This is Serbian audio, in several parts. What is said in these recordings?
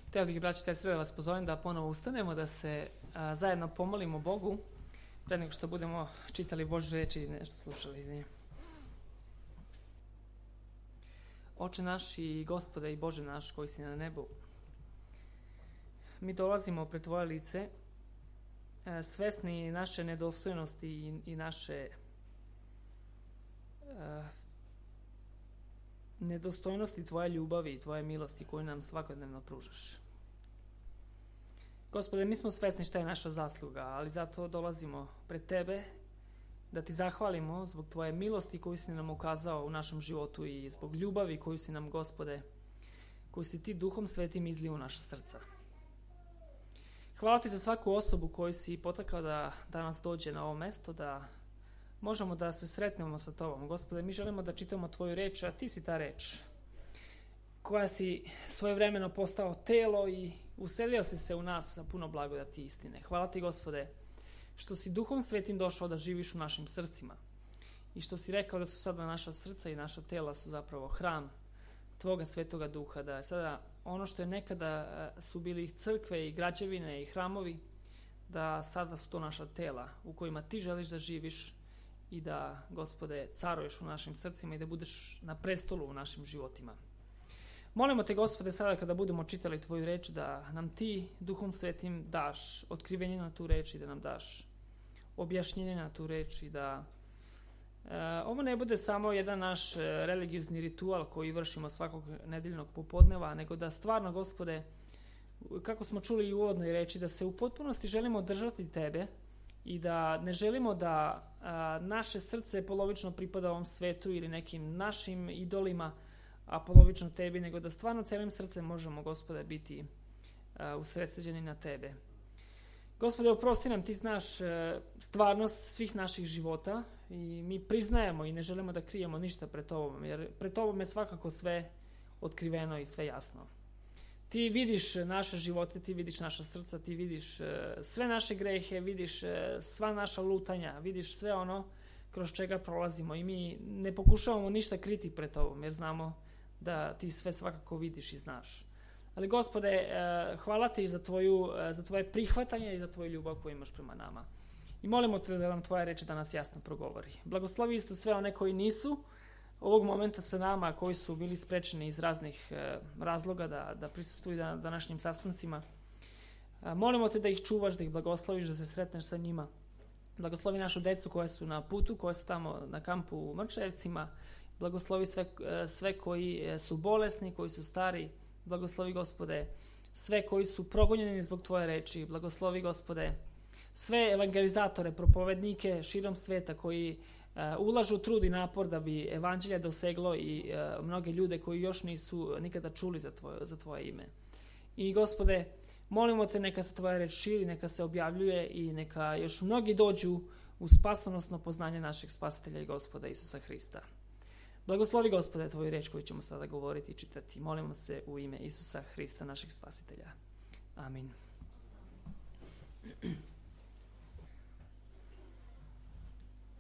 Htio bih, braći i sestre, da vas pozovem da ponovo ustanemo, da se zajedno pomolimo Bogu pre nego što budemo čitali Božju reč i nešto slušali iz nje. Oče naš i Gospode i Bože naš koji si na nebu, mi dolazimo pred Tvoje lice svesni naše nedostojnosti i naše nedostojnosti Tvoje ljubavi i Tvoje milosti koju nam svakodnevno pružaš. Gospode, mi smo svesni šta je naša zasluga, ali zato dolazimo pred Tebe da Ti zahvalimo zbog Tvoje milosti koju si nam ukazao u našem životu i zbog ljubavi koju si nam, Gospode, koju si Ti Duhom Svetim izlio u naša srca. Hvala Ti za svaku osobu koju si potakao da danas dođe na ovo mesto, da možemo da se sretnemo sa Tobom. Gospode, mi želimo da čitamo Tvoju reč, a Ti si ta reč koja si svojevremeno postao telo i uselio si se u nas sa puno blagodati i istine. Hvala Ti, Gospode, što si Duhom Svetim došao da živiš u našim srcima i što si rekao da su sada naša srca i naša tela su zapravo hram Tvoga Svetoga Duha, da je sada ono što je nekada su bili crkve i građevine i hramovi, da sada su to naša tela u kojima Ti želiš da živiš i da, Gospode, caruješ u našim srcima i da budeš na prestolu u našim životima. Molimo Te, Gospode, sada kada budemo čitali Tvoju reč, da nam Ti Duhom Svetim daš otkrivenje na tu reč i da nam daš objašnjenje na tu reč i da ovo ne bude samo jedan naš religiozni ritual koji vršimo svakog nedeljnog popodneva, nego da stvarno, Gospode, kako smo čuli i u uvodnoj reči, da se u potpunosti želimo držati Tebe i da ne želimo da naše srce polovično pripada ovom svetu ili nekim našim idolima, a polovično Tebi, nego da stvarno celim srcem možemo, Gospode, biti usredsređeni na Tebe. Gospode, oprosti nam, Ti znaš stvarnost svih naših života i mi priznajemo i ne želimo da krijemo ništa pred Tobom, jer pred Tobom je svakako sve otkriveno i sve jasno. Ti vidiš naše živote, Ti vidiš naša srca, Ti vidiš sve naše grehe, vidiš sva naša lutanja, vidiš sve ono kroz čega prolazimo i mi ne pokušavamo ništa kriti pred Tobom, jer znamo da Ti sve svakako vidiš i znaš. Ali, Gospode, hvala Ti za Tvoje prihvatanje i za Tvoju ljubav koju imaš prema nama. I molimo Te da nam Tvoja reč danas jasno progovori. Blagoslovi isto sve one koji nisu ovog momenta sa nama, koji su bili sprečeni iz raznih razloga da prisustvuju današnjim sastancima. Molimo Te da ih čuvaš, da ih blagosloviš, da se sretneš sa njima. Blagoslovi našu decu koja su na putu, koja su tamo na kampu u Mrčajevcima. Blagoslovi sve koji su bolesni, koji su stari. Blagoslovi, Gospode, sve koji su progonjeni zbog Tvoje reči. Blagoslovi, Gospode, sve evangelizatore, propovednike širom sveta koji ulažu trud i napor da bi evanđelje doseglo i mnoge ljude koji još nisu nikada čuli za Tvoje ime. I, Gospode, molimo Te neka se Tvoja reč širi, neka se objavljuje i neka još mnogi dođu u spasonosno poznanje našeg Spasitelja i Gospoda Isusa Hrista. Blagoslovi, Gospode, Tvoju reč koju ćemo sada govoriti i čitati. Molimo se u ime Isusa Hrista, našeg Spasitelja. Amin.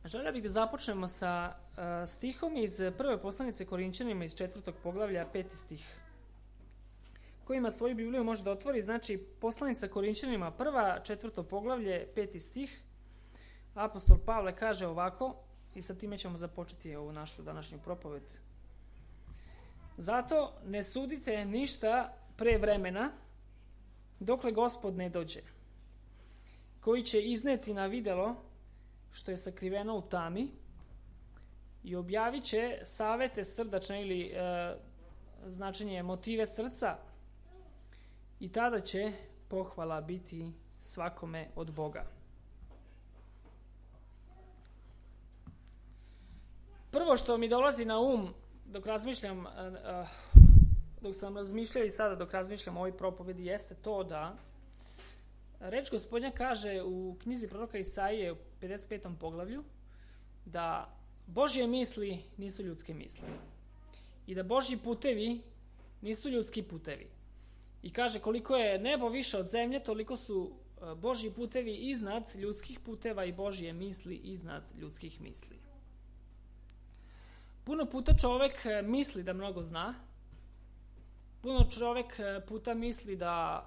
Želio bih da započnemo sa stihom iz prve poslanice Korinćanima iz 4. poglavlja, 5. stih. Ko ima svoju Bibliju može da otvori, znači poslanica Korinćanima, 4. poglavlje, 5. stih. Apostol Pavle kaže ovako, i sa time ćemo započeti ovu našu današnju propoved. Zato ne sudite ništa pre vremena, dokle Gospod ne dođe, koji će izneti na videlo što je sakriveno u tami i objavit će savete srdačne ili značenje motive srca i tada će pohvala biti svakome od Boga. Prvo što mi dolazi na um dok sam razmišljao i sada dok razmišljam o ovoj propovedi jeste to da reč Gospodnja kaže u knjizi proroka Isaije u 55. poglavlju da Božje misli nisu ljudske misli i da Božji putevi nisu ljudski putevi. I kaže koliko je nebo više od zemlje, toliko su Božji putevi iznad ljudskih puteva i Božje misli iznad ljudskih misli. Puno puta čovek misli da mnogo zna, Puno čovjek puta misli da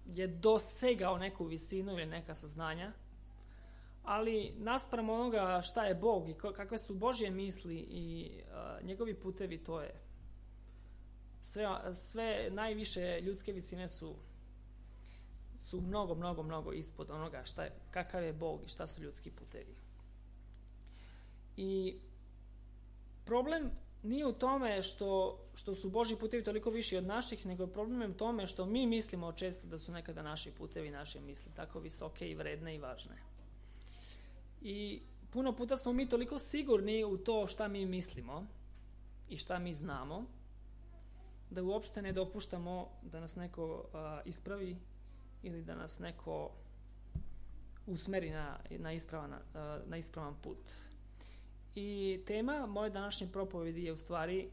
je dosegao neku visinu ili neka saznanja, ali naspram onoga šta je Bog i kakve su Božje misli i njegovi putevi, to je sve najviše ljudske visine su mnogo ispod onoga kakav je Bog i šta su ljudski putevi. I problem nije u tome što su Božji putevi toliko viši od naših, nego problem je u tome što mi mislimo često da su nekada naši putevi, naše misli tako visoke i vredne i važne. I puno puta smo mi toliko sigurni u to šta mi mislimo i šta mi znamo, da uopšte ne dopuštamo da nas neko ispravi ili da nas neko usmeri na ispravan put. I tema moje današnje propovedi je u stvari,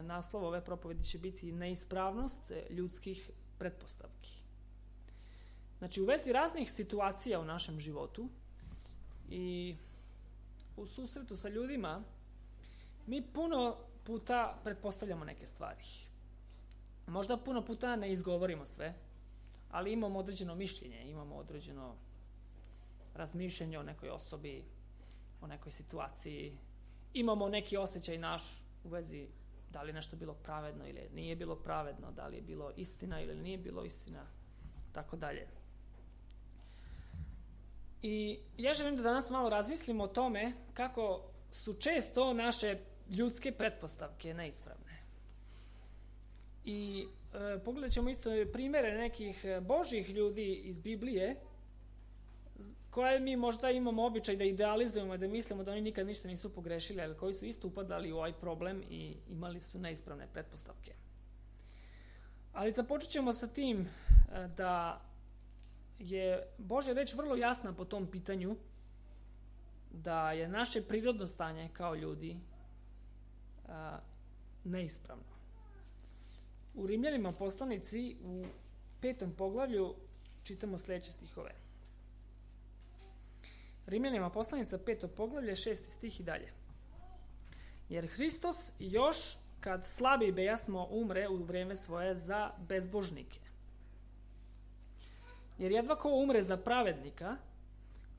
naslov ove propovedi će biti neispravnost ljudskih pretpostavki. Znači, u vezi raznih situacija u našem životu i u susretu sa ljudima, mi puno puta pretpostavljamo neke stvari. Možda puno puta ne izgovorimo sve, ali imamo određeno mišljenje, imamo određeno razmišljanje o nekoj osobi, o nekoj situaciji, imamo neki osjećaj naš u vezi da li je nešto bilo pravedno ili nije bilo pravedno, da li je bilo istina ili nije bilo istina, tako dalje. I ja želim da danas malo razmislimo o tome kako su često naše ljudske pretpostavke neispravne. I pogledat ćemo isto primjere nekih Božjih ljudi iz Biblije, koje mi možda imamo običaj da idealizujemo, da mislimo da oni nikad ništa nisu pogrešili, ali koji su isto upadali u ovaj problem i imali su neispravne pretpostavke. Ali započet ćemo sa tim da je Božja reč vrlo jasna po tom pitanju, da je naše prirodno stanje kao ljudi neispravno. U Rimljanima poslanici u 5. poglavlju čitamo sljedeće stihove. Rimljanima poslanica 5. poglavlje 6. stih i dalje. Jer Hristos još kad slabi bejasmo umre u vrijeme svoje za bezbožnike. Jer jedva ko umre za pravednika,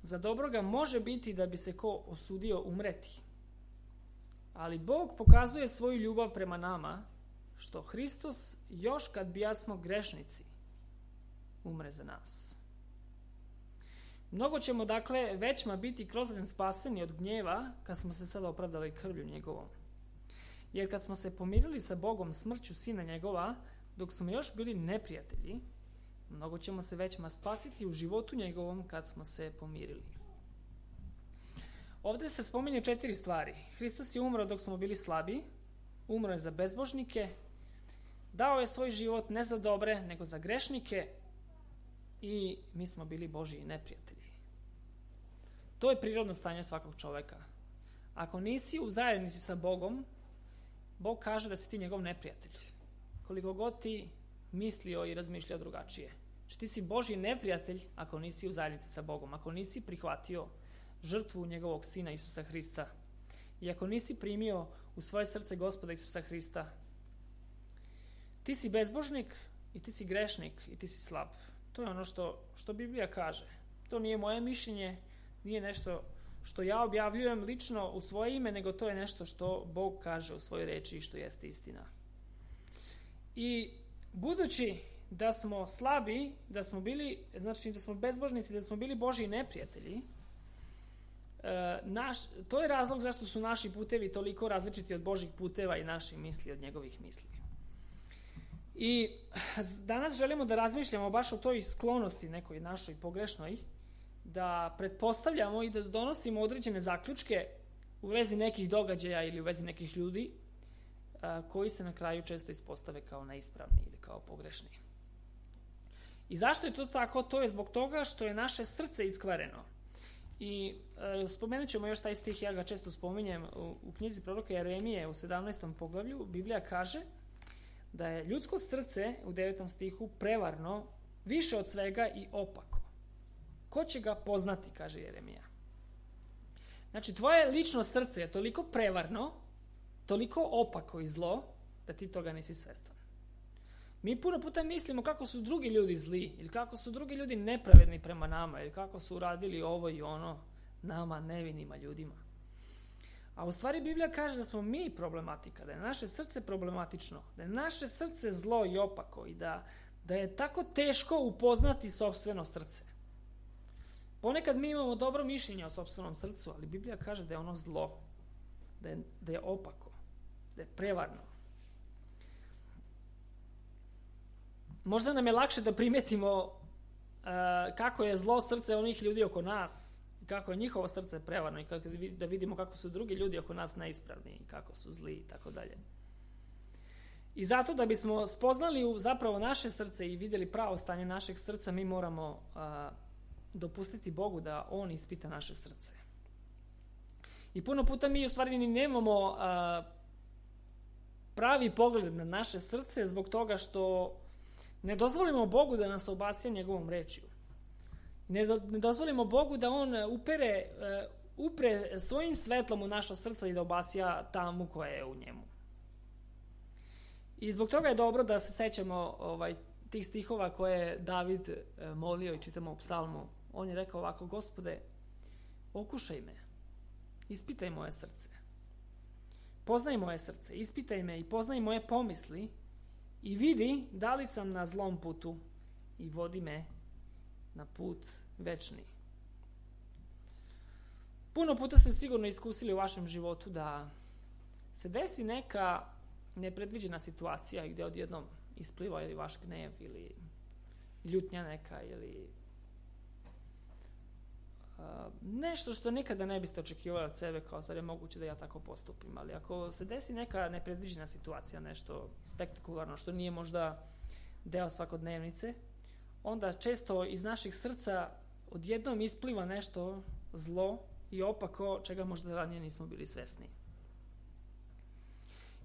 za dobroga može biti da bi se ko osudio umreti. Ali Bog pokazuje svoju ljubav prema nama, što Hristos još kad bijasmo grešnici umre za nas. Mnogo ćemo dakle većma biti kroz njen spaseni od gnjeva kad smo se sada opravdali krvlju njegovom. Jer kad smo se pomirili sa Bogom smrću sina njegova, dok smo još bili neprijatelji, mnogo ćemo se većma spasiti u životu njegovom kad smo se pomirili. Ovdje se spominje 4 stvari. Hristos je umro dok smo bili slabi, umro je za bezbožnike, dao je svoj život ne za dobre, nego za grešnike i mi smo bili Božji neprijatelji. To je prirodno stanje svakog čovjeka. Ako nisi u zajednici sa Bogom, Bog kaže da si ti njegov neprijatelj. Koliko god ti mislio i razmišljao drugačije. Znači ti si Božji neprijatelj ako nisi u zajednici sa Bogom, ako nisi prihvatio žrtvu njegovog sina Isusa Hrista i ako nisi primio u svoje srce Gospoda Isusa Hrista, ti si bezbožnik i ti si grešnik i ti si slab. To je ono što Biblija kaže. To nije moje mišljenje, nije nešto što ja objavljujem lično u svoje ime, nego to je nešto što Bog kaže u svojoj reči i što jeste istina. I budući da smo slabi, da smo bili, znači da smo bezbožnici, da smo bili Božji neprijatelji, to je razlog zašto su naši putevi toliko različiti od Božjih puteva i naših misli od njegovih misli. I danas želimo da razmišljamo baš o toj sklonosti nekoj našoj pogrešnoj, da pretpostavljamo i da donosimo određene zaključke u vezi nekih događaja ili u vezi nekih ljudi koji se na kraju često ispostave kao neispravni ili kao pogrešni. I zašto je to tako? To je zbog toga što je naše srce iskvareno. I spomenut ćemo još taj stih, ja ga često spominjem u knjizi proroka Jeremije u 17. poglavlju. Biblija kaže da je ljudsko srce u 9. stihu prevarno, više od svega i opako. Ko će ga poznati, kaže Jeremija. Znači, tvoje lično srce je toliko prevarno, toliko opako i zlo, da ti toga nisi svestan. Mi puno puta mislimo kako su drugi ljudi zli ili kako su drugi ljudi nepravedni prema nama ili kako su uradili ovo i ono nama, nevinima ljudima. A u stvari Biblija kaže da smo mi problematika, da je naše srce problematično, da je naše srce zlo i opako i da je tako teško upoznati sopstveno srce. Ponekad mi imamo dobro mišljenje o sopstvenom srcu, ali Biblija kaže da je ono zlo, da je opako, da je prevarno. Možda nam je lakše da primetimo kako je zlo srce onih ljudi oko nas, i kako je njihovo srce prevarno, i da vidimo kako su drugi ljudi oko nas neispravni, i kako su zli i tako dalje. I zato da bismo spoznali zapravo naše srce i vidjeli pravo stanje našeg srca, mi moramo dopustiti Bogu da On ispita naše srce. I puno puta mi u stvari ni nemamo pravi pogled na naše srce zbog toga što ne dozvolimo Bogu da nas obasja njegovom rečju. Ne dozvolimo Bogu da On upre svojim svetlom u naša srca i da obasja tamu koja je u njemu. I zbog toga je dobro da se sećamo tih stihova koje je David molio i čitamo u psalmu. On je rekao ovako: Gospode, okušaj me, ispitaj moje srce. Poznaj moje srce, ispitaj me i poznaj moje pomisli i vidi da li sam na zlom putu i vodi me na put večni. Puno puta ste sigurno iskusili u vašem životu da se desi neka nepredviđena situacija gdje odjednom ispliva ili vaš gnev ili ljutnja neka ili nešto što nikada ne biste očekivali od sebe, kao zar je moguće da ja tako postupim. Ali ako se desi neka nepredviđena situacija, nešto spektakularno što nije možda deo svakodnevnice, onda često iz naših srca odjednom ispliva nešto zlo i opako čega možda ranije nismo bili svesni.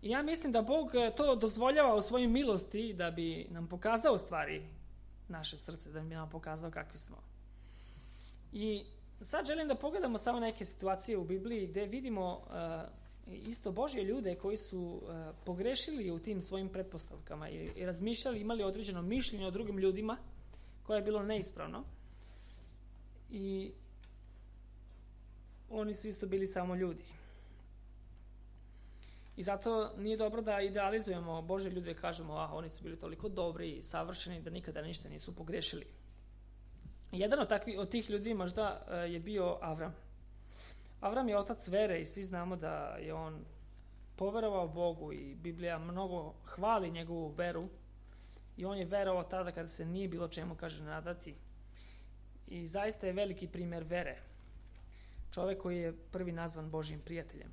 I ja mislim da Bog to dozvoljava u svojoj milosti da bi nam pokazao stvari naše srce, da bi nam pokazao kakvi smo. I sad želim da pogledamo samo neke situacije u Bibliji gdje vidimo isto Božje ljude koji su pogrešili u tim svojim pretpostavkama i razmišljali, imali određeno mišljenje o drugim ljudima koje je bilo neispravno. I oni su isto bili samo ljudi. I zato nije dobro da idealizujemo Božje ljude i kažemo oni su bili toliko dobri i savršeni da nikada ništa nisu pogrešili. Jedan od tih ljudi možda je bio Avram. Avram je otac vere i svi znamo da je on poverovao Bogu i Biblija mnogo hvali njegovu veru i on je verovao tada kada se nije bilo čemu, kaže, nadati. I zaista je veliki primjer vere. Čovjek koji je prvi nazvan Božjim prijateljem.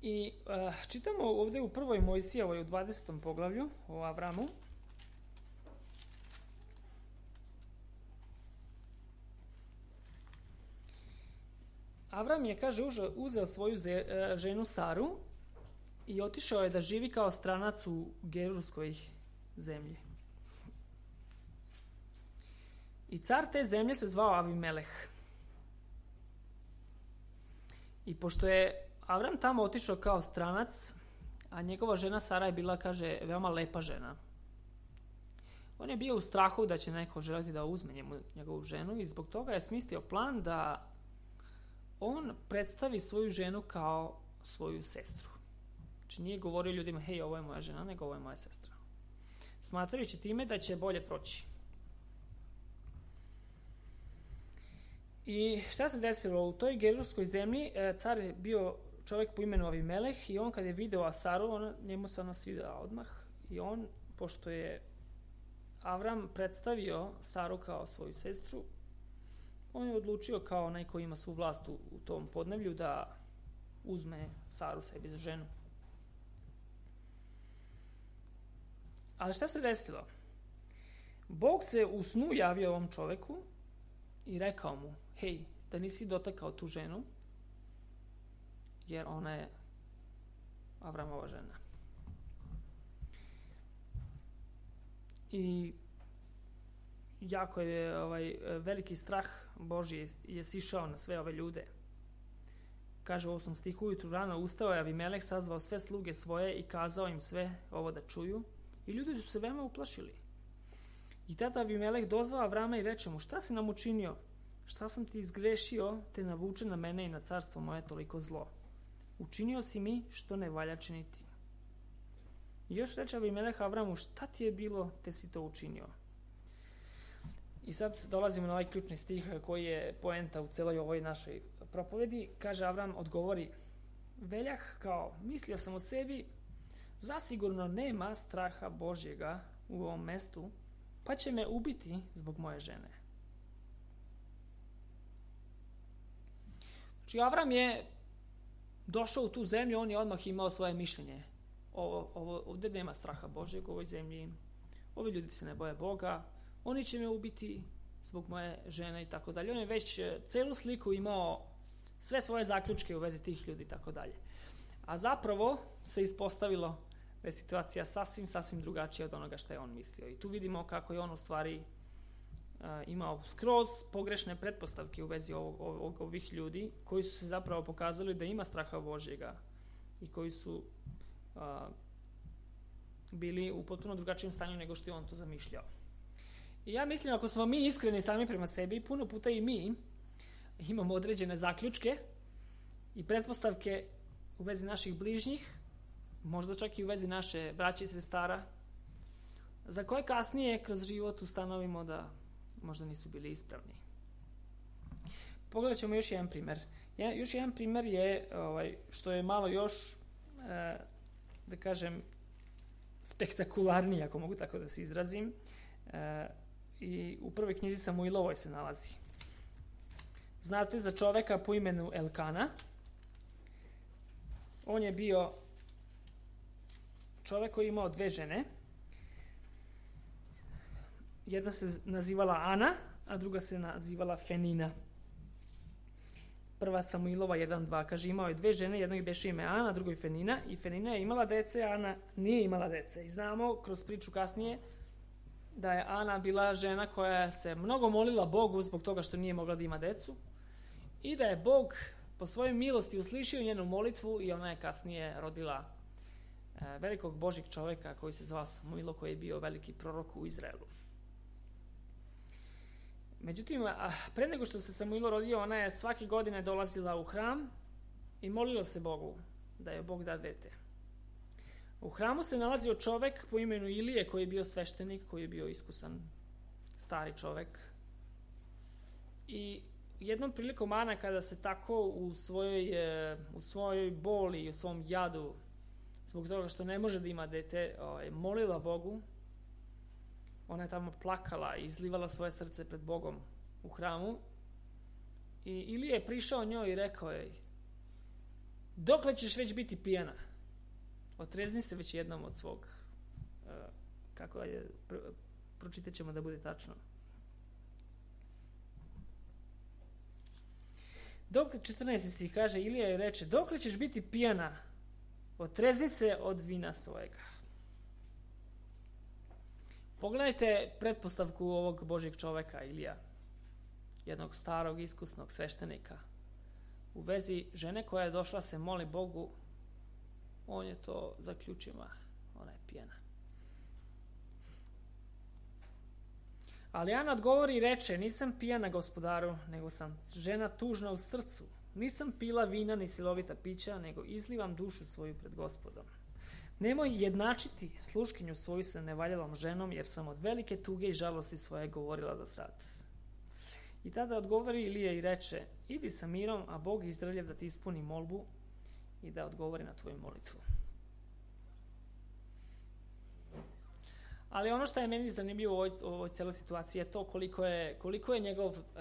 I čitamo ovdje u 1. Mojsijevoj u 20. poglavlju o Avramu. Avram je, kaže, uzeo svoju ženu Saru i otišao je da živi kao stranac u Gerurskoj zemlji. I car te zemlje se zvao Avimeleh. I pošto je Avram tamo otišao kao stranac, a njegova žena Sara je bila, kaže, veoma lepa žena. On je bio u strahu da će neko želiti da uzme njegovu ženu i zbog toga je smislio plan da on predstavi svoju ženu kao svoju sestru. Znači nije govorio ljudima, hej, ovo je moja žena, nego ovo je moja sestra. Smatrajući time da će bolje proći. I šta se desilo? U toj Gerurskoj zemlji car je bio čovjek po imenu Avimeleh i on kad je video Saru, njemu se ona svidjela odmah i on, pošto je Avram predstavio Saru kao svoju sestru, on je odlučio kao onaj koji ima svu vlast u tom podneblju da uzme Saru sebi za ženu. Ali šta se desilo? Bog se u snu javio ovom čovjeku i rekao mu, hej, da nisi dotakao tu ženu, jer ona je Avramova žena. I jako je veliki strah Božji je sišao na sve ove ljude. kaže u 8. stihu, ujutru rano ustao je Avimelek, sazvao sve sluge svoje i kazao im sve ovo da čuju. I ljudi su se veoma uplašili. I tada Avimelek dozvao Avrama i reče mu, šta si nam učinio? Šta sam ti izgrešio, te navuče na mene i na carstvo moje toliko zlo? Učinio si mi što ne valja činiti. I još reče Avimelek Avramu, šta ti je bilo, te si to učinio? I sad dolazimo na ovaj ključni stih koji je poenta u celoj ovoj našoj propovedi. Kaže Avram, odgovori, veljah kao, mislio sam o sebi, zasigurno nema straha Božjega u ovom mestu, pa će me ubiti zbog moje žene. Znači Avram je došao u tu zemlju, on je odmah imao svoje mišljenje. Ovdje nema straha Božjeg u ovoj zemlji, ovi ljudi se ne boje Boga, oni će me ubiti zbog moje žene i tako dalje. On je već celu sliku imao, sve svoje zaključke u vezi tih ljudi i tako dalje. A zapravo se ispostavilo da je situacija sasvim drugačija od onoga što je on mislio. I tu vidimo kako je on u stvari imao skroz pogrešne pretpostavke u vezi ovih ljudi koji su se zapravo pokazali da ima straha Božjega i koji su bili u potpuno drugačijem stanju nego što je on to zamišljao. I ja mislim, ako smo mi iskreni sami prema sebi, puno puta i mi imamo određene zaključke i pretpostavke u vezi naših bližnjih, možda čak i u vezi naše braće i sestara, za koje kasnije kroz život ustanovimo da možda nisu bili ispravni. Pogledat ćemo još jedan primjer. Još jedan primjer je, što je malo još, da kažem, spektakularniji, ako mogu tako da se izrazim, i u prvoj knjizi Samuilovoj se nalazi. Znate za čoveka po imenu Elkana. On je bio čovek koji je imao dve žene. Jedna se nazivala Ana, a druga se nazivala Fenina. Prva Samuilova 1:2 kaže, imao je dve žene, jednoj beše ime Ana, drugoj Fenina, i Fenina je imala dece, a Ana nije imala dece. I znamo kroz priču kasnije da je Ana bila žena koja se mnogo molila Bogu zbog toga što nije mogla da ima decu i da je Bog po svojoj milosti uslišio njenu molitvu i ona je kasnije rodila velikog Božjeg čoveka koji se zvao Samuilo, koji je bio veliki prorok u Izraelu. Međutim, pre nego što se Samuilo rodio, ona je svake godine dolazila u hram i molila se Bogu da je Bog da dete. U hramu se nalazio čovek po imenu Ilije koji je bio sveštenik, koji je bio iskusan stari čovek. I jednom prilikom Ana, kada se tako u svojoj boli i u svom jadu zbog toga što ne može da ima dete, molila Bogu, ona je tamo plakala i izlivala svoje srce pred Bogom u hramu. I Ilija je prišao njoj i rekao joj, dokle ćeš već biti pijana? Otrezni se već jednom od svog, kako je, pročitat ćemo da bude tačno. 14. stih kaže, Ilija je reče, dokle ćeš biti pijana? Otrezni se od vina svojega. Pogledajte pretpostavku ovog Božjeg čoveka, Ilija, jednog starog, iskusnog sveštenika. U vezi žene koja je došla se moli Bogu, on je to zaključio, ona je pijana. Ali Ana odgovori i reče, nisam pijana gospodaru, nego sam žena tužna u srcu. Nisam pila vina ni silovita pića, nego izlivam dušu svoju pred Gospodom. Nemoj jednačiti sluškinju svoju sa nevaljalom ženom, jer sam od velike tuge i žalosti svoje govorila do sad. I tada odgovori Ilija i reče, idi sa mirom, a Bog Izraeljev da ti ispuni molbu i da odgovori na tvoju molitvu. Ali ono što je meni zanimljivo u ovoj cijeloj situaciji je to koliko je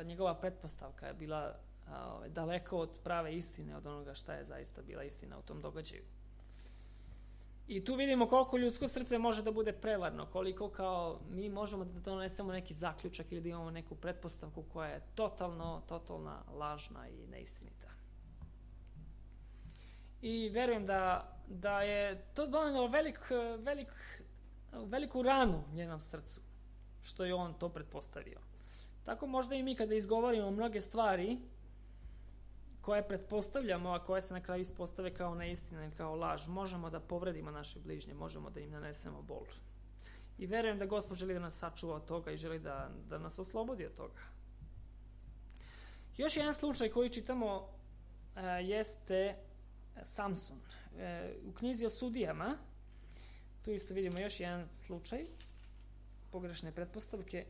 njegova pretpostavka bila daleko od prave istine, od onoga šta je zaista bila istina u tom događaju. I tu vidimo koliko ljudsko srce može da bude prevarno, koliko kao mi možemo da donesemo neki zaključak ili da imamo neku pretpostavku koja je totalna, lažna i neistinita. I verujem da je to donelo veliku ranu njenom srcu, što je on to pretpostavio. Tako možda i mi kada izgovorimo mnoge stvari koje pretpostavljamo, a koje se na kraju ispostave kao neistina ili kao laž, možemo da povredimo naše bližnje, možemo da im nanesemo bol. I verujem da Gospod želi da nas sačuva od toga i želi da nas oslobodi od toga. Još jedan slučaj koji čitamo jeste Samson. U knjizi o sudijama, tu isto vidimo još jedan slučaj pogrešne pretpostavke.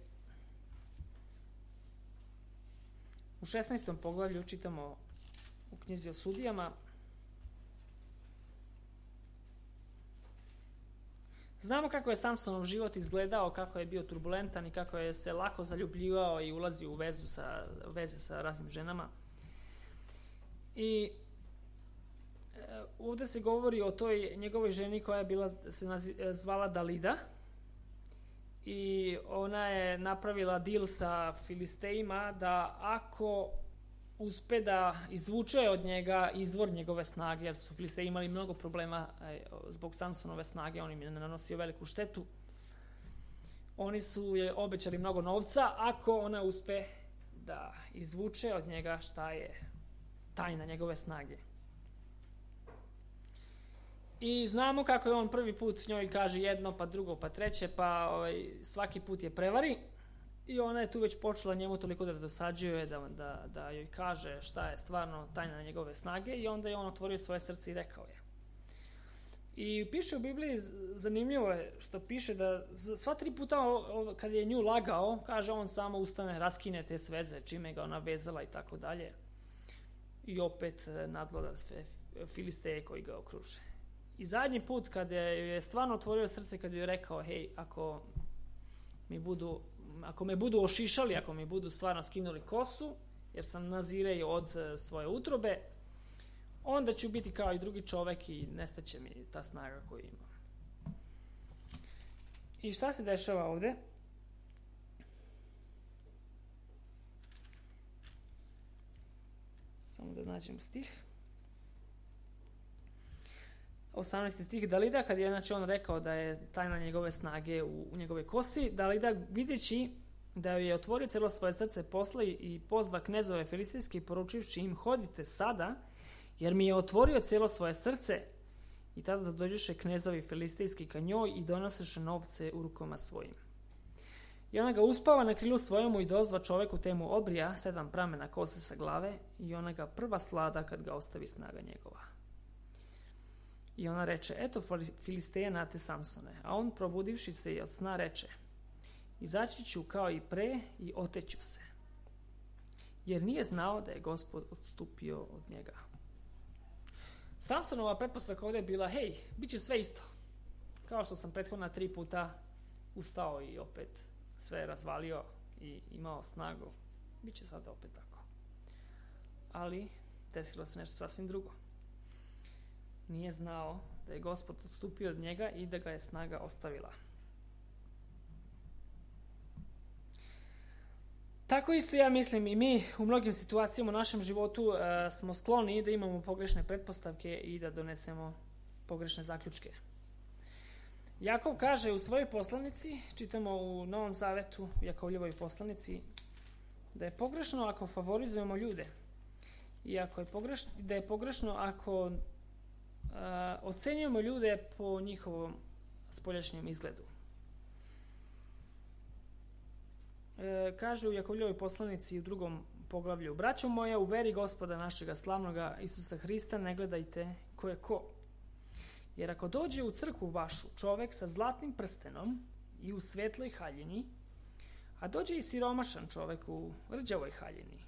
U 16. poglavlju čitamo u knjizi o sudijama. Znamo kako je Samsonov život izgledao, kako je bio turbulentan i kako je se lako zaljubljivao i ulazio u veze sa raznim ženama. I ovdje se govori o toj njegovoj ženi koja je zvala Dalida. I ona je napravila deal sa Filistejima da ako uspe da izvuče od njega izvor njegove snage, jer su Filisteji imali mnogo problema zbog Samsonove snage, on im je nanosio veliku štetu. Oni su je obećali mnogo novca ako ona uspe da izvuče od njega šta je tajna njegove snage. I znamo kako je on prvi put njoj kaže jedno, pa drugo, pa treće, pa svaki put je prevari. I ona je tu već počela njemu toliko da dosađuje, da joj kaže šta je stvarno tajna njegove snage, i onda je on otvorio svoje srce i rekao je. I piše u Bibliji, zanimljivo je što piše da sva 3 puta kad je nju lagao, kaže on samo ustane, raskine te sveze, čime ga ona vezala i tako dalje. I opet nadvlada sve Filisteje koji ga okruže. I zadnji put kad je stvarno otvorio srce, kad je rekao, hej, ako me budu ošišali, ako mi budu stvarno skinuli kosu, jer sam nazirej od svoje utrobe, onda ću biti kao i drugi čovek i nestaće mi ta snaga koju imam. I šta se dešava ovdje? Samo da nađem stih. 18. stih. Dalida, kad je on rekao da je tajna njegove snage u njegovoj kosi, Dalida, videći da je otvorio cijelo svoje srce, posla i pozva knezove filistejske i poručivši im, hodite sada, jer mi je otvorio cijelo svoje srce. I tada da dođeše knezovi filistejski ka njoj i donoseše novce u rukama svojim. I ona ga uspava na krilu svojemu i dozva čoveku temu obrija 7 pramena kose sa glave, i ona ga prva slada kad ga ostavi snaga njegova. I ona reče, eto Filisteja nate Samsone. A on, probudivši se i od sna, reče, izaći ću kao i pre i oteću se. Jer nije znao da je Gospod odstupio od njega. Samsonova pretpostavka ovdje je bila, hej, bit će sve isto. Kao što sam prethodna 3 puta ustao i opet sve razvalio i imao snagu. Bit će sada opet tako. Ali desilo se nešto sasvim drugo. Nije znao da je Gospod odstupio od njega i da ga je snaga ostavila. Tako isto ja mislim i mi u mnogim situacijama u našem životu smo skloni da imamo pogrešne pretpostavke i da donesemo pogrešne zaključke. Jakov kaže u svojoj poslanici, čitamo u Novom Zavetu, u Jakovljevoj poslanici, da je pogrešno ako favorizujemo ljude i da je pogrešno ako ocenjujemo ljude po njihovom spoljašnjem izgledu. Kaže u Jakovljevoj poslanici u 2. poglavlju, braćo moja, u veri Gospoda našega slavnoga Isusa Hrista ne gledajte ko je ko. Jer ako dođe u crkvu vašu čovek sa zlatnim prstenom i u svetloj haljini, a dođe i siromašan čovek u rđavoj haljini,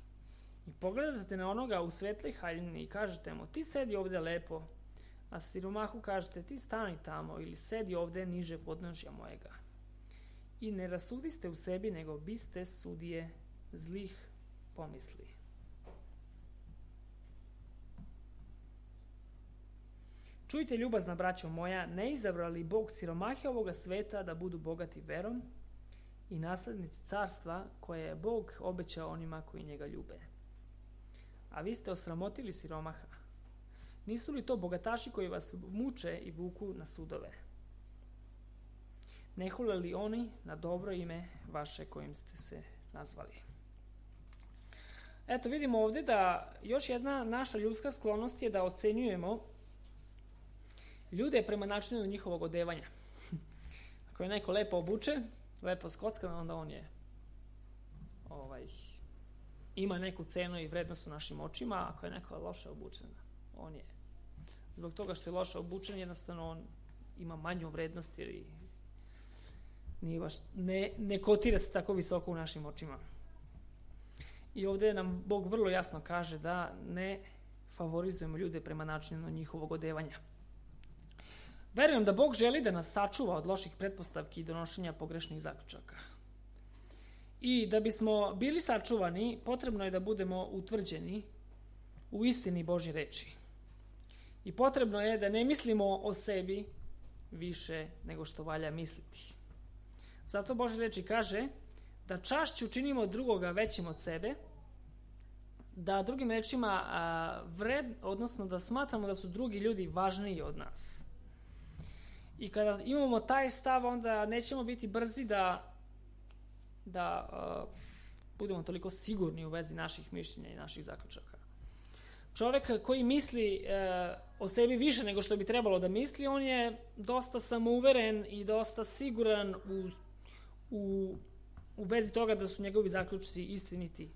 i pogledate na onoga u svetloj haljini i kažete mu, ti sedi ovdje lepo, a siromahu kažete, ti stani tamo ili sedi ovdje niže podnožja mojega. I ne rasudiste u sebi, nego biste sudije zlih pomisli. Čujte, ljubazna braćo moja, ne izabrali Bog siromahe ovoga sveta da budu bogati verom i naslednici carstva koje je Bog obećao onima koji njega ljube. A vi ste osramotili siromaha. Nisu li to bogataši koji vas muče i vuku na sudove? Ne hule li oni na dobro ime vaše kojim ste se nazvali? Eto, vidimo ovdje da još jedna naša ljudska sklonost je da ocenjujemo ljude prema načinu njihovog odevanja. Ako je neko lepo obučen, lepo skockan, onda on je ima neku cenu i vrednost u našim očima. Ako je neko loše obučen, on je zbog toga što je loše obučen, jednostavno on ima manju vrednost jer nije baš, ne kotira se tako visoko u našim očima. I ovdje nam Bog vrlo jasno kaže da ne favorizujemo ljude prema načinu njihovog odevanja. Verujem da Bog želi da nas sačuva od loših pretpostavki i donošenja pogrešnih zaključaka. I da bismo bili sačuvani, potrebno je da budemo utvrđeni u istini Božje reči. I potrebno je da ne mislimo o sebi više nego što valja misliti. Zato Božje reči kaže da čašću činimo drugoga većim od sebe, da drugim rečima odnosno da smatramo da su drugi ljudi važniji od nas. I kada imamo taj stav, onda nećemo biti brzi da budemo toliko sigurni u vezi naših mišljenja i naših zaključaka. Čovjek koji misli o sebi više nego što bi trebalo da misli, on je dosta samouveren i dosta siguran u vezi toga da su njegovi zaključci istiniti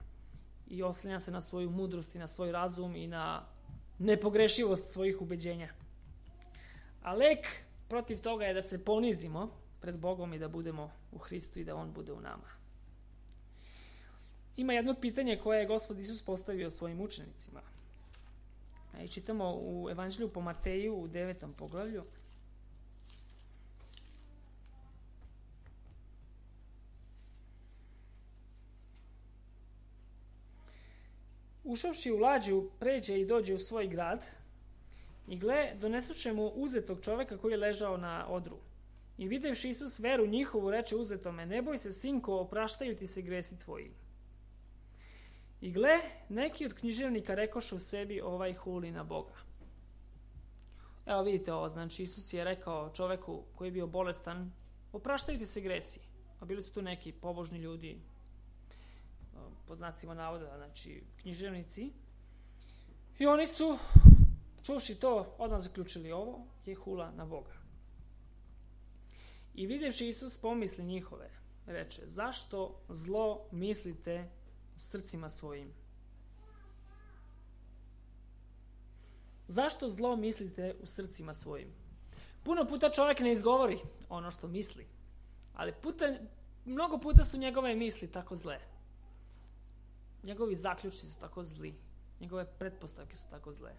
i oslanja se na svoju mudrost i na svoj razum i na nepogrešivost svojih ubeđenja. A lek protiv toga je da se ponizimo pred Bogom i da budemo u Hristu i da On bude u nama. Ima jedno pitanje koje je Gospod Isus postavio svojim učenicima. I čitamo u Evanđelju po Mateju u 9. poglavlju. Ušavši u lađu, pređe i dođe u svoj grad i gle, donesuše mu uzetog čoveka koji je ležao na odru. I videvši Isus veru njihovu, reče uzetome, ne boj se, sinko, opraštaju ti se gresi tvoji. I gle, neki od književnika rekoše u sebi, ovaj huli na Boga. Evo vidite ovo, znači Isus je rekao čoveku koji je bio bolestan, opraštaju ti se gresi. A bili su tu neki pobožni ljudi, pod znacima navoda, znači književnici. I oni su, čuvši to, odmah zaključili, ovo je hula na Boga. I vidjevši Isus pomisli njihove, reče, zašto zlo mislite u srcima svojim? Zašto zlo mislite u srcima svojim? Puno puta čovjek ne izgovori ono što misli, ali mnogo puta su njegove misli tako zle. Njegovi zaključci su tako zli. Njegove pretpostavke su tako zle.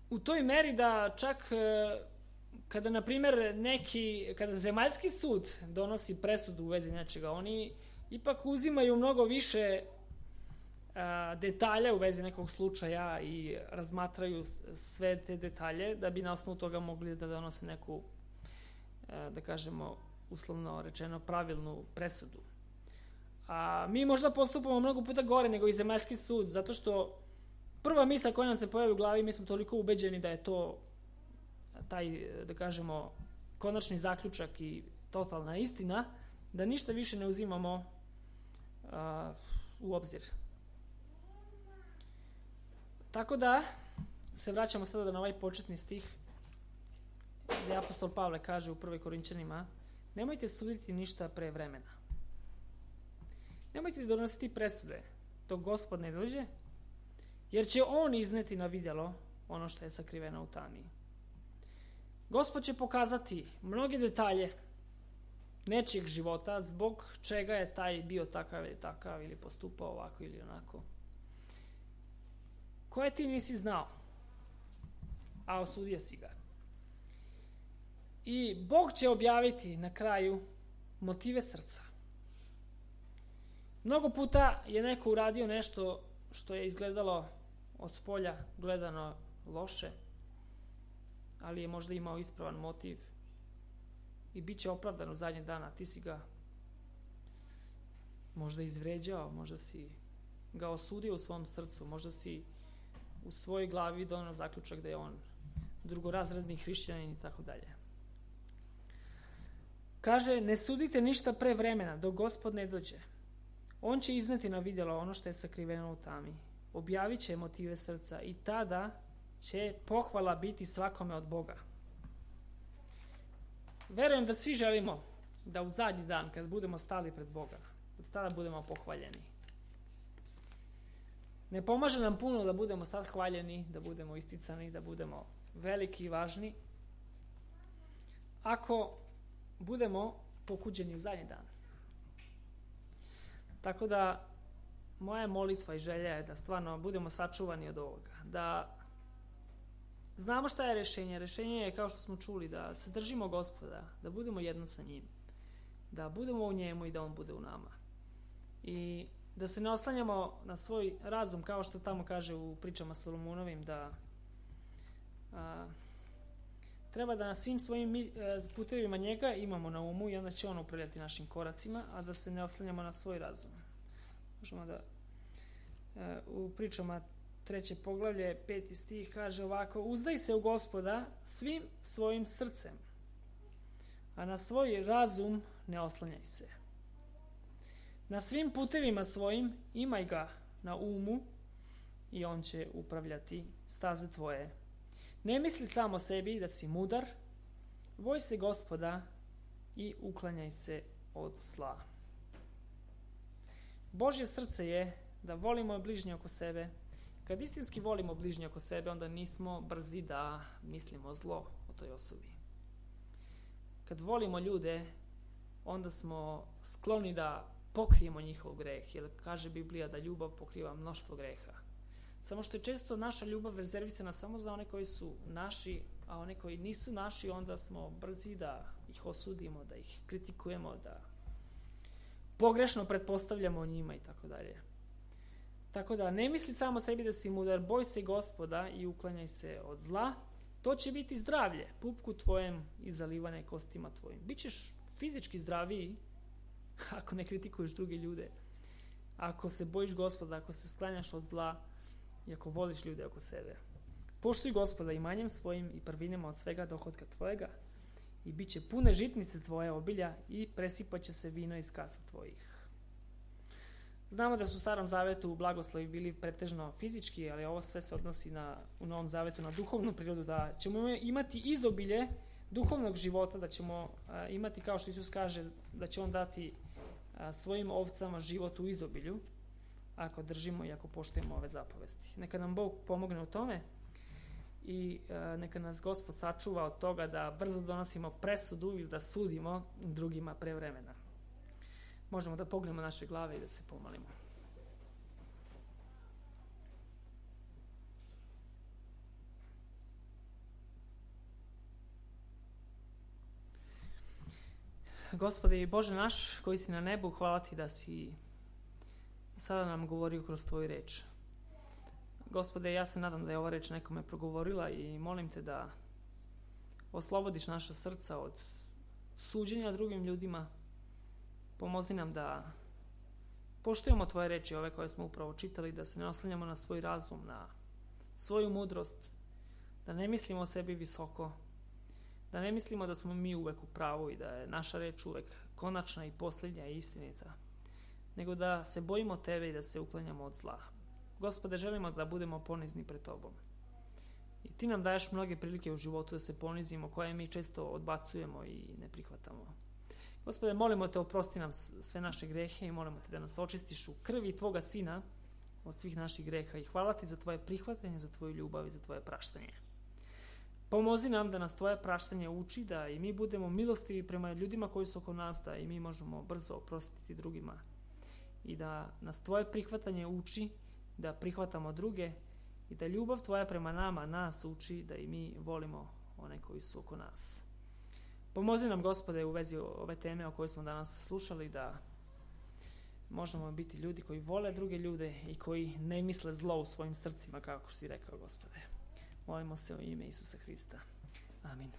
U toj meri da čak kada, na primjer, kada zemaljski sud donosi presudu u vezi nečega, oni ipak uzimaju mnogo više detalja u vezi nekog slučaja i razmatraju sve te detalje da bi na osnovu toga mogli da donose neku, da kažemo, uslovno rečeno, pravilnu presudu. A mi možda postupamo mnogo puta gore nego i zemaljski sud, zato što prva misla koja nam se pojavi u glavi, mi smo toliko ubeđeni da je to taj, da kažemo, konačni zaključak i totalna istina, da ništa više ne uzimamo u obzir. Tako da se vraćamo sada na ovaj početni stih gdje apostol Pavle kaže u 1. Korinćanima, nemojte suditi ništa pre vremena. Nemojte donositi presude dok Gospod ne dođe, jer će On izneti na vidjelo ono što je sakriveno u tami. Gospod će pokazati mnoge detalje nečijeg života zbog čega je taj bio takav ili postupao ovako ili onako, koje ti nisi znao, a osudio si ga. I Bog će objaviti na kraju motive srca. Mnogo puta je neko uradio nešto što je izgledalo od spolja gledano loše, ali je možda imao ispravan motiv i bit će opravdan u zadnjeg dana. Ti si ga možda izvređao, možda si ga osudio u svom srcu, možda si u svojoj glavi donio zaključak da je on drugorazredni hrišćanin i tako dalje. Kaže, ne sudite ništa pre vremena, dok Gospod ne dođe. On će izneti na vidjelo ono što je sakriveno u tami. Objavit će motive srca i tada će pohvala biti svakome od Boga. Verujem da svi želimo da u zadnji dan, kad budemo stali pred Boga, da tada budemo pohvaljeni. Ne pomaže nam puno da budemo sad hvaljeni, da budemo isticani, da budemo veliki i važni, ako budemo pokuđeni u zadnji dan. Tako da moja molitva i želja je da stvarno budemo sačuvani od ovoga, da znamo šta je rješenje. Rješenje je, kao što smo čuli, da se držimo Gospoda, da budemo jedno sa njim, da budemo u njemu i da on bude u nama. I da se ne oslanjamo na svoj razum, kao što tamo kaže u pričama Solomonovim, da treba da na svim svojim putevima njega imamo na umu i onda će on upravljati našim koracima, a da se ne oslanjamo na svoj razum. Možemo da u pričama 3. poglavlje 5. stih kaže ovako: uzdaj se u Gospoda svim svojim srcem, a na svoj razum ne oslanjaj se. Na svim putevima svojim imaj ga na umu i on će upravljati staze tvoje. Ne misli samo sebi da si mudar, boj se Gospoda i uklanjaj se od zla. Božje srce je da volimo bližnje oko sebe. Kad istinski volimo bližnje oko sebe, onda nismo brzi da mislimo zlo o toj osobi. Kad volimo ljude, onda smo skloni da pokrijemo njihov greh, jer kaže Biblija da ljubav pokriva mnoštvo greha. Samo što je često naša ljubav rezervisana samo za one koji su naši, a one koji nisu naši, onda smo brzi da ih osudimo, da ih kritikujemo, da pogrešno pretpostavljamo o njima i tako dalje. Tako da ne misli samo sebi da si mudar, boj se Gospoda i uklanjaj se od zla. To će biti zdravlje, pupku tvojem i zalivane kostima tvojim. Bićeš fizički zdraviji ako ne kritikuješ druge ljude, ako se bojiš Gospoda, ako se sklanjaš od zla i ako voliš ljude oko sebe. Poštuj Gospoda imanjem svojim i prvinama od svega dohotka tvojega i bit će pune žitnice tvoje obilja i presipat će se vino iz kaca tvojih. Znamo da su u Starom Zavetu blagoslovi bili pretežno fizički, ali ovo sve se odnosi u Novom Zavetu na duhovnu prirodu, da ćemo imati izobilje duhovnog života, da ćemo imati, kao što Isus kaže, da će on dati svojim ovcama život u izobilju, ako držimo i ako poštujemo ove zapovesti. Neka nam Bog pomogne u tome i neka nas Gospod sačuva od toga da brzo donosimo presudu ili da sudimo drugima pre vremena. Možemo da pognemo naše glave i da se pomolimo. Gospode i Bože naš, koji si na nebu, hvala ti da si sada nam govorio kroz tvoju reč. Gospode, ja se nadam da je ova reč nekome progovorila i molim te da oslobodiš naša srca od suđenja drugim ljudima. Pomozi nam da poštujemo tvoje reči, ove koje smo upravo čitali, da se ne oslanjamo na svoj razum, na svoju mudrost, da ne mislimo o sebi visoko, da ne mislimo da smo mi uvek u pravu i da je naša reč uvek konačna i posljednja i istinita, nego da se bojimo tebe i da se uklanjamo od zla. Gospode, želimo da budemo ponizni pred tobom. I ti nam daješ mnoge prilike u životu da se ponizimo, koje mi često odbacujemo i ne prihvatamo. Gospode, molimo te, oprosti nam sve naše grehe i molimo te da nas očistiš u krvi tvoga Sina od svih naših greha i hvala ti za tvoje prihvatanje, za tvoju ljubav i za tvoje praštanje. Pomozi nam da nas tvoje praštanje uči, da i mi budemo milostivi prema ljudima koji su oko nas, da i mi možemo brzo oprostiti drugima i da nas tvoje prihvatanje uči da prihvatamo druge i da ljubav tvoja prema nama nas uči da i mi volimo one koji su oko nas. Pomozi nam, Gospode, u vezi ove teme o kojoj smo danas slušali, da možemo biti ljudi koji vole druge ljude i koji ne misle zlo u svojim srcima, kako si rekao, Gospode. Molimo se u ime Isusa Hrista. Amin.